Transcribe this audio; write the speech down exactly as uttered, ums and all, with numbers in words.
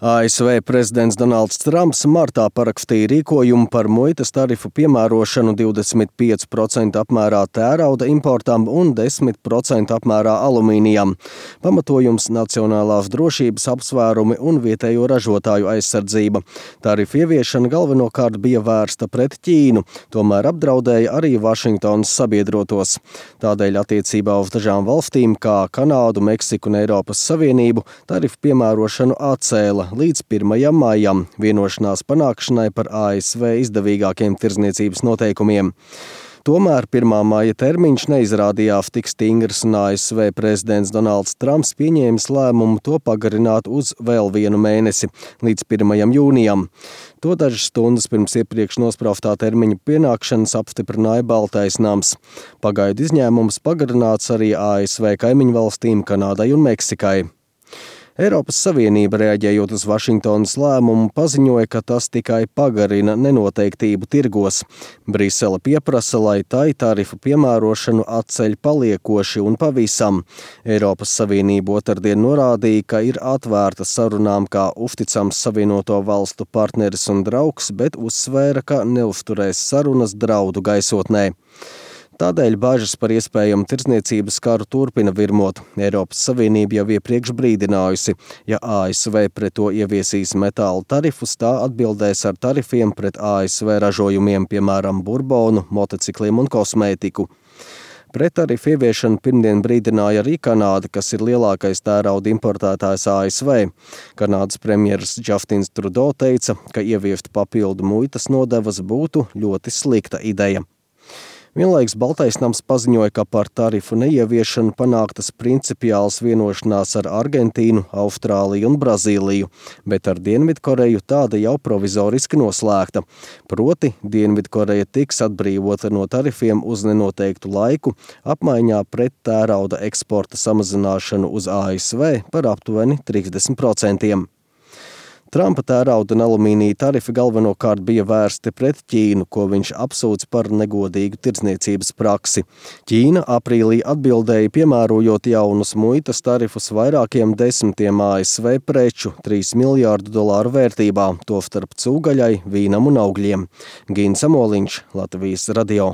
A S V prezidents Donalds Trumps martā parakstīja rīkojumu par muitas tarifu piemērošanu divdesmit pieci procenti apmērā tērauda importam un desmit procenti apmērā alumīnijam. Pamatojums nacionālās drošības apsvērumi un vietējo ražotāju aizsardzība. Tarifu ieviešana galvenokārt bija vērsta pret Ķīnu, tomēr apdraudēja arī Vašingtonas sabiedrotos. Tādēļ attiecībā uz dažām valstīm, kā Kanādu, Meksiku un Eiropas Savienību, tarifu piemērošanu atcēla līdz pirmajam maijam vienošanās panākšanai par A S V izdevīgākiem tirdzniecības noteikumiem. Tomēr pirmā maija termiņš neizrādījās tik stingrs, un A S V prezidents Donalds Trumps pieņēmis lēmumu to pagarināt uz vēl vienu mēnesi, līdz pirmajam jūnijam. To dažas stundas pirms iepriekš nospraustā termiņa pienākšanas apstiprināja Baltais nams. Pagaidu izņēmums pagarināts arī A S V kaimiņu valstīm Kanādai un Meksikai. Eiropas Savienība, reaģējot uz Vašingtonas lēmumu, paziņoja, ka tas tikai pagarina nenoteiktību tirgos. Brisele pieprasa, lai tai tarifu piemērošanu atceļ paliekoši un pavisam. Eiropas Savienība otrdien norādīja, ka ir atvērta sarunām kā uzticams Savienoto valstu partneris un draugs, bet uzsvēra, ka neuzturēs sarunas draudu gaisotnē. Tādēļ bažas par iespējamu tirdzniecības karu turpina virmot. Eiropas Savienība jau iepriekš brīdinājusi, ja A S V pret to ieviesīs metāla tarifus, tā atbildēs ar tarifiem pret A S V ražojumiem, piemēram, burbonu, motocikliem un kosmētiku. Pret tarifu ieviešanu pirmdien brīdināja arī Kanāda, kas ir lielākais tērauda importētājs A S V. Kanādas premjeras Justins Trudeau teica, ka ieviest papildu muitas nodevas būtu ļoti slikta ideja. Vienlaikus Baltais nams paziņoja, ka par tarifu neieviešanu panāktas principiāls vienošanās ar Argentīnu, Austrāliju un Brazīliju, bet ar Dienvidkoreju tāda jau provizoriski noslēgta. Proti, Dienvidkoreja tiks atbrīvota no tarifiem uz nenoteiktu laiku, apmaiņā pret tērauda eksporta samazināšanu uz A S V par aptuveni trīsdesmit procentiem. Trumpa tērauda un alumīnija tarifi galvenokārt bija vērsti pret Ķīnu, ko viņš apsūdz par negodīgu tirdzniecības praksi. Ķīna aprīlī atbildēja piemērojot jaunus muitas tarifus vairākiem desmitiem A S V preču, trīs miljārdu dolāru vērtībā, tostarp cūgaļai, vīnam un augļiem. Gins Amoliņš, Latvijas radio.